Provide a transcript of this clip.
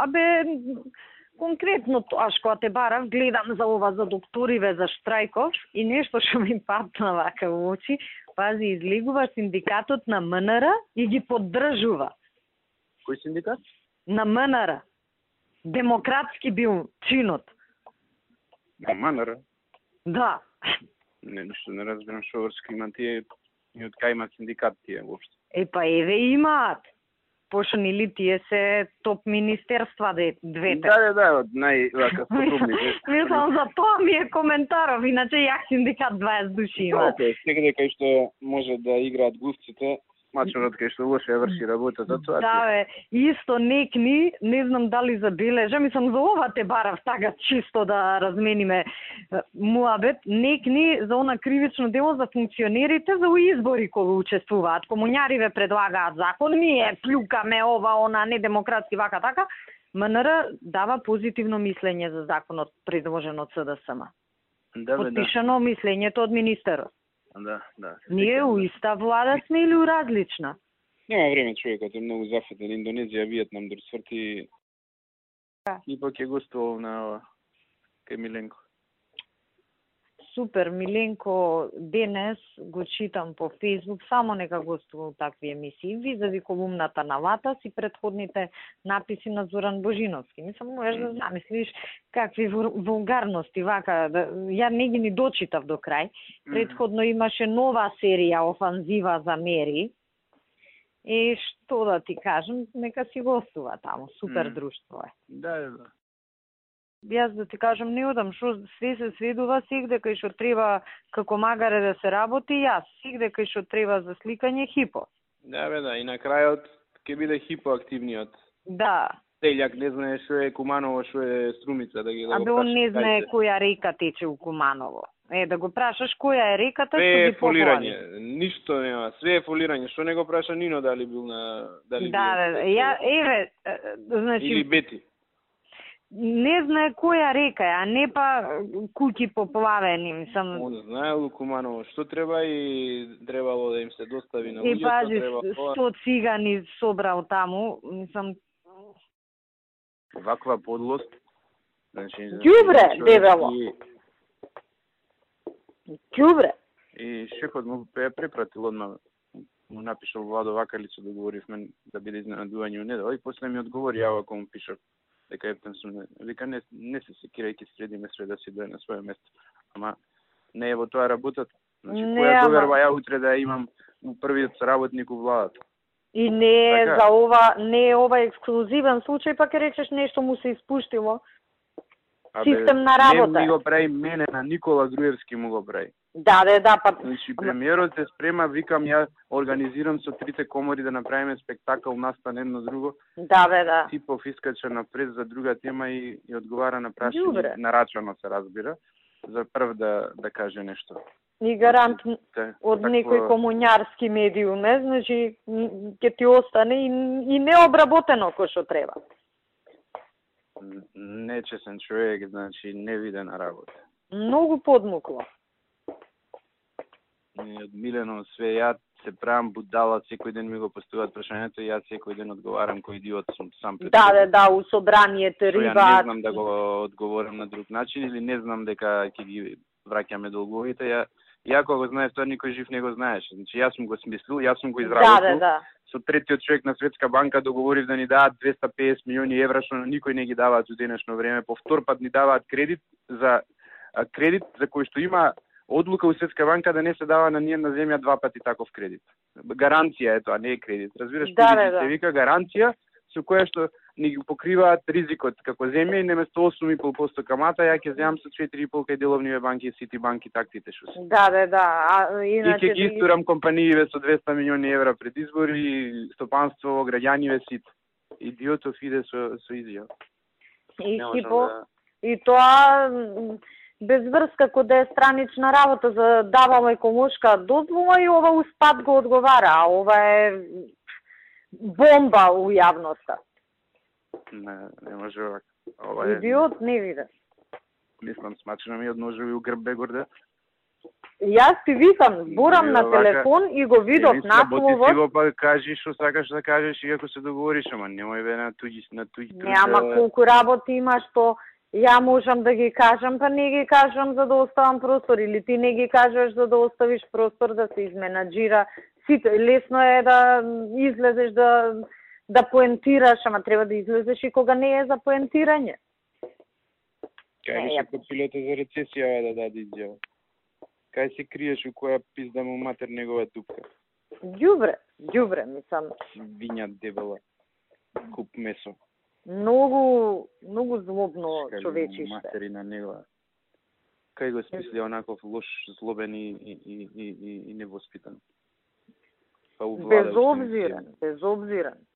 Абе, конкретно тоа што те барав, гледам за ова за докториве за штрајков и нешто што ми патна вака во очи, пази, излегува синдикатот на МНР и ги поддржува. Кој синдикат? На МНР. Демократски бил чинот. На МНР? Да. Не, ништо не разбирам што врска има тие и од кај има синдикат тие воопшто. Па еве имаат. Пошто нели тие се топ министерства двете. Да, од највака способните. Мислам за тоа ми е коментаров, иначе јак синдикат 20 души има. Секаде кај што може да играат глувците, мачорот кај што лоше врши работата, тоа. Да, бе, исто некни, не знам дали забележа, мислам за ова те барав така чисто да размениме муабет, некни за она кривично дело за функционерите за избори кои учествуваат. Комуњариве предлагаат закон, ние плюкаме ова, она, недемократски, вака така. МНР дава позитивно мислење за законот предложен од СДСМ. Да, подпишано мислењето од министерот. Да. Ние у иста влада сме или у различна? Нема време, човекот е многу зафатен. Индонезија, Виетнам, дори сврти. И пак е гостувал на кај Миленко. Супер, Миленко денес го читам по Facebook, само нека гостувал такви емисии. Визави колумната на Ватас и предходните написи на Зоран Божиновски. Мислам, можеш да замислиш какви вулгарности, вака, ја не ги ни дочитав до крај. Предходно имаше нова серија Офанзива за Мери. И што да ти кажам, нека си гостува таму, супер друштво е. Да. Јас да ти кажам, не одам, што све се сведува, сегде кај што треба како магаре да се работи, јас, сегде кај што треба за сликање, хипо. Да, и на крајот ќе биде хипоактивниот. Да. Телјак не знае што е Куманово, што е Струмица, да ги да го прашаш. Он не знае која река тече у Куманово. Да го прашаш која е реката, што ги фолирање. Ништо нема, све е фолирање. Што не го праша Нино дали бил на значи или Бети. Не знае која река е, а не па куќи поплавени, мислам. Он знаел Куманово што треба и требало да им се достави на луѓето, и пази, 100 цигани собрал таму, мислам. Ваква подлост. Значи, ѓубре, дебело. Ѓубре. И шефот му препратил одма, му напишал Владо Вакалицу, договоривме да биде изненадување у недела, и после ми одговори, ја ако му пишав дека ептен сум, вика не се секирајќи средиме све да си дое на своје место. Ама не е во тоа работата. Значи, која доверба ја утре да имам у првиот работник у владата. И не е за ова, не е ова ексклузивен случај, па ке речеш нешто му се испуштило. Систем на работа. Не ми го прави мене, на Никола Груевски му го прави. Да, па. Значи, премиерот се спрема, викам, ја организирам со трите комори да направиме спектакл настан едно друго. Да. Типов искача напред за друга тема и одговара на прашање, нарачано се разбира, за прв да каже нешто. И гарант од некој комуњарски медиум, значи ќе ти остане и необработено кој што треба. Нечесен човек, значи невидена работа. Многу подмукло. Од Милено све, ја се правам будала, секој ден ми го поставуваат прашањето и јас секој ден одговарам кој идиот сум сам пред. Да, у собранието рибаат. Ја не знам да го одговорам на друг начин или не знам дека ќе ги враќаме долговите. Ја кога го знаев тоа, никој жив не го знаеше. Значи јас сум го смислил, јас сум го изработил. Да. Со третиот човек на Светска банка договорив да ни дадат 250 милиони евра, што никој не ги даваат во денешно време. По втор пат ни даваат кредит за кој што има одлука у Светска банка да не се дава на ниједна земја два пати таков кредит. Гаранција е тоа, не е кредит. Разбираш, се вика гаранција со која што ни ги покриваат ризикот како земја и наместо 8,5% камата, ја ќе земам со 4,5% кај деловниве банки и Сити банки тактите што се. Да. Иначе и ќе ги истурам компанииве со 200 милиони евра пред избори, стопанство, граѓаниве сит. Идиотов иде со изјава. И тоа без врска кога да е странична работа за давала еколошка дозвола и ова успад го одговара, а ова е бомба у јавноста. Не може овака. Идиот не виде. Мислам, смачено ми одножил и у грб бе горде. Јас ти викам, зборам на телефон и го видов насловот. Ти го па кажи што сакаш да кажеш и ако се договориш, ама немој бе на туѓи Не, ама колку работи има што ја можам да ги кажам, па не ги кажам за да оставам простор, или ти не ги кажеш за да оставиш простор да се изменаџира. Сите лесно е да излезеш да поентираш, ама треба да излезеш и кога не е за поентирање. Кај беше копилото за рецесија да даде изјава? Кај се криеш у која пизда му матер негова дупка? Ѓубре, мислам. Виња дебела, куп месо. Многу злобно човечиште. Материна негова. Кај го смисли онаков лош, злобен и невоспитан? Безобзиран.